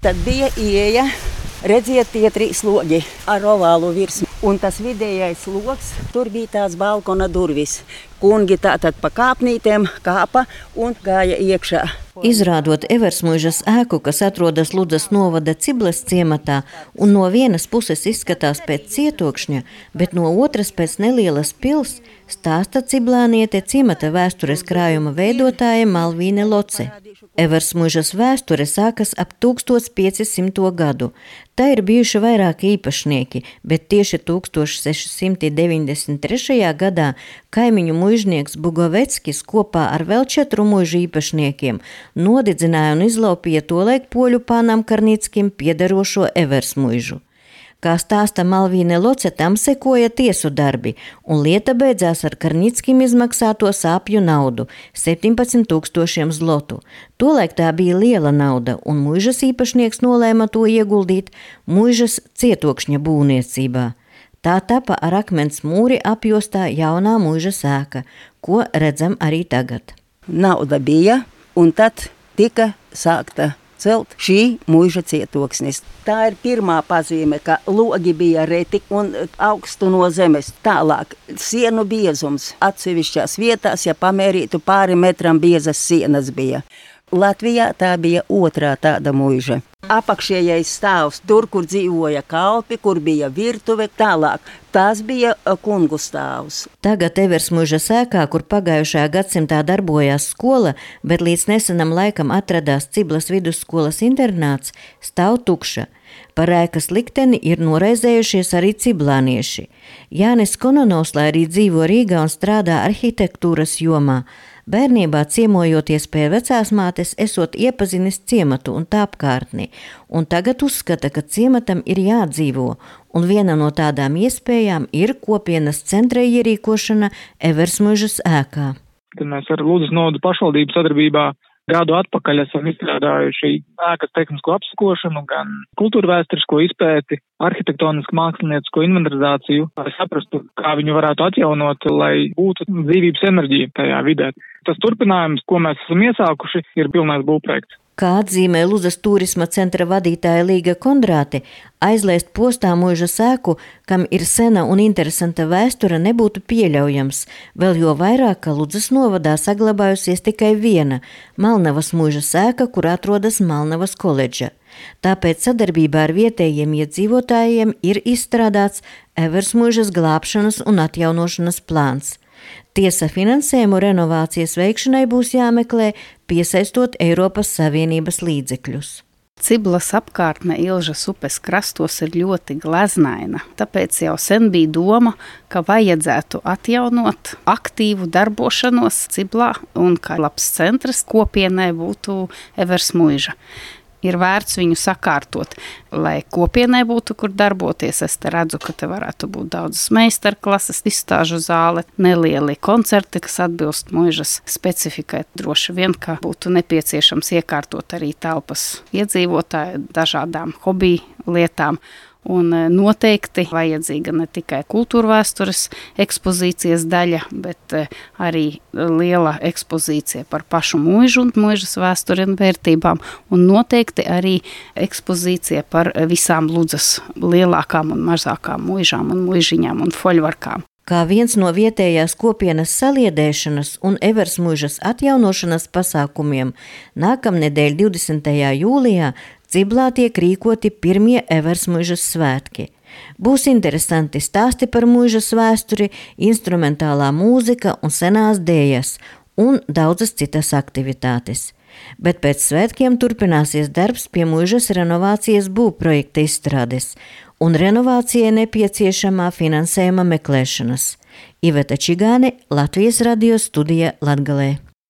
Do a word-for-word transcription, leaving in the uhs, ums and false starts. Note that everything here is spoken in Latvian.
Tad bija ieeja, redziet, tie trīs logi ar ovālu virsmu. Un tas vidējais logs, tur bija tās balkona durvis. Kungi tātad pa kāpnītēm kāpa un gāja iekšā. Izrādot Eversmuižas ēku, kas atrodas Ludzas novada Ciblas ciematā, un no vienas puses izskatās pēc cietokšņa, bet no otras pēc nelielas pils, stāsta ciblāniete ciemata vēstures krājuma veidotāja Malvīne Loce. Eversmuižas vēsture sākas ap tūkstoš piecisimto gadu. Tā ir bijuši vairāki īpašnieki, bet tieši tūkstoš seši simti deviņdesmit trešajā gadā kaimiņu muižnieks Bugoveckis kopā ar vēl četru muižu īpašniekiem nodidzināja un izlaupīja tolaik poļu pānam Karnickim piederošo Eversmuižu. Kā stāsta Malvīne Loce, tam sekoja tiesu darbi, un lieta beidzās ar Karnickim izmaksāto sāpju naudu – septiņpadsmit tūkstošiem zlotu. Tolaik tā bija liela nauda, un muižas īpašnieks nolēma to ieguldīt muižas cietokšņa būvniecībā. Tā tapa ar akmens mūri apjostā jaunā muižas ēka, ko redzam arī tagad. Nauda bija, un tad tika sākta celt šī muiža cietoksnis. Tā ir pirmā pazīme, ka logi bija reti un augstu no zemes. Tālāk sienu biezums atsevišķās vietās, ja pamērītu pāri metram biezas sienas bija. Latvijā tā bija otrā tāda muiža. Apakšējais stāvs, tur, kur dzīvoja kalpi, kur bija virtuve, tālāk. Tās bija kungu stāvs. Tagad Eversmuižas ēkā, kur pagājušajā gadsimtā darbojās skola, bet līdz nesenam laikam atradās Ciblas vidusskolas internāts, stāv tukša. Par ēkas likteni ir noraizējušies arī ciblānieši. Jānis Kononovs, lai arī dzīvo Rīgā un strādā arhitektūras jomā, bērnībā ciemojoties pie vecās mātes, esot iepazinis ciematu un tā apkārtni, un tagad uzskata, ka ciematam ir jādzīvo, un viena no tādām iespējām ir kopienas centra ierīkošana Eversmuižas ēkā. Tad mēs ar Ludzas novada pašvaldību sadarbībā gadu atpakaļ esam izstrādājuši ēkas tehnisko apsakošanu, gan kultūrvēsturisko izpēti, arhitektonisku māksliniecisko inventarizāciju, lai saprastu, kā viņu varētu atjaunot, lai būtu dzīvības enerģija tajā vidē. Tas turpinājums, ko mēs esam iesākuši, ir pilnais būvprojekts. Kā atzīmē Ludzas turisma centra vadītāja Līga Kondrāte, aizlaist postā muižas ēku, kam ir sena un interesanta vēsture, nebūtu pieļaujams, vēl jo vairāk, ka Ludzas novadā saglabājusies tikai viena – Malnavas muižas ēka, kur atrodas Malnavas koledža. Tāpēc sadarbībā ar vietējiem iedzīvotājiem ir izstrādāts Eversmuižas glābšanas un atjaunošanas plāns. Tiesa, finansējumu renovācijas veikšanai būs jāmeklē, piesaistot Eiropas Savienības līdzekļus. Ciblas apkārtne Ilžas upes krastos ir ļoti gleznaina, tāpēc jau sen bija doma, ka vajadzētu atjaunot aktīvu darbošanos Ciblā un kā labs centrs kopienai būtu Eversmuiža. Ir vērts viņu sakārtot, lai kopienai būtu, kur darboties. Es te redzu, ka te varētu būt daudzas meistarklases, izstāžu zāle, nelieli koncerti, kas atbilst muižas specifikai. Droši vien, ka būtu nepieciešams iekārtot arī telpas iedzīvotāju dažādām hobiju lietām. Un noteikti vajadzīga ne tikai kultūrvēstures ekspozīcijas daļa, bet arī liela ekspozīcija par pašu muižu un muižas vēsturi un vērtībām, un noteikti arī ekspozīcija par visām Ludzas lielākām un mazākām muižām un muižiņām un foļvarkām. Kā viens no vietējās kopienas saliedēšanas un Eversmuižas atjaunošanas pasākumiem, nākamnedēļ divdesmitajā jūlijā Ciblā tiek rīkoti pirmie Eversmuižas svētki. Būs interesanti stāsti par muižas vēsturi, instrumentālā mūzika un senās dējas un daudzas citas aktivitātes. Bet pēc svētkiem turpināsies darbs pie muižas renovācijas būvprojekta izstrādes un renovācijai nepieciešamā finansējuma meklēšanas. Iveta Čigāne, Latvijas radio studija Latgalē.